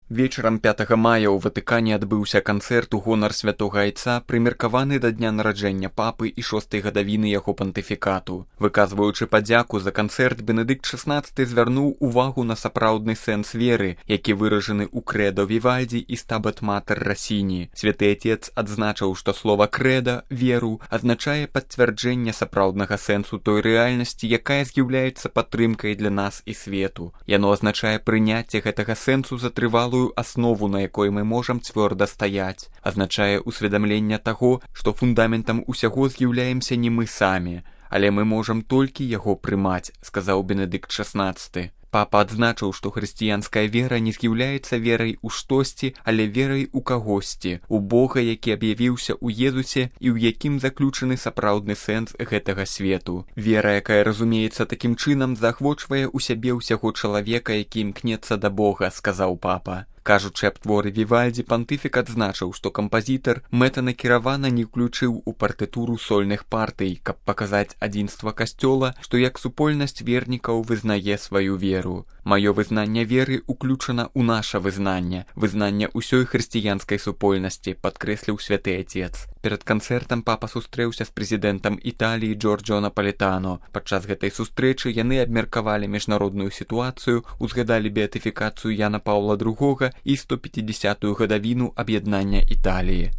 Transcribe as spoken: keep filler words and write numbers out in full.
Вечарам пятага мая ў Ватыкане адбыўся канцэрт у гонар святога айца, прымеркаваны да дня нараджэння папы і шостай гадавіны яго пантыфікату. Выказваючы падзяку за канцэрт, Бенедыкт шаснаццаты звярнуў увагу на сапраўдны сэнс веры, які выражаны ў крэдо Вівальдзі і стабат матэр Расіні. Святы Атец адзначыў, што слова крэда, веру, азначае пацвярджэнне сапраўднага сэнсу той рэальнасці, якая з'яўляецца падтрымкай для нас і свету. Яно азначае прыняцце гэтага сэнсу за трывалую аснову, на якой мы можам цвёрда стаяць, азначае усведамленне таго, што фундаментам усяго з'яўляемся не мы самі, але мы можам толькі яго прымаць, сказаў Бенедыкт шаснаццаты. Папа адзначыў, што хрысціянская вера не з'яўляецца верай у штосьці, але верай у кагосьці, у Бога, які аб'явіўся ў Езусе і ў якім заключаны сапраўдны сэнс гэтага свету. Вера, якая разумеецца такім чынам, заахвочвае ў сябе ўсяго чалавека, які імкнецца да Бога, сказаў папа. Кажучы аб творы Вівальдзі, пантыфік адзначыў, што кампазітар мэтанакіравана не ўключыў у партытуру сольных партый, каб паказаць адзінства касцёла, што як супольнасць вернікаў вызнае сваю веру. Маё вызнанне веры ўключана ў наша вызнанне, вызнанне ўсёй хрысціянскай супольнасці, падкрэсліў святы Атец. Перад канцэртам папа сустрэўся з прэзідэнтам Італіі Джорджо Напалетано. Падчас гэтай сустрэчы яны абмеркавалі міжнародную сітуацыю, узгадалі беатыфікацыю Яна Паўла другога і сто пяцідзясятую гадавіну аб'яднання Італіі.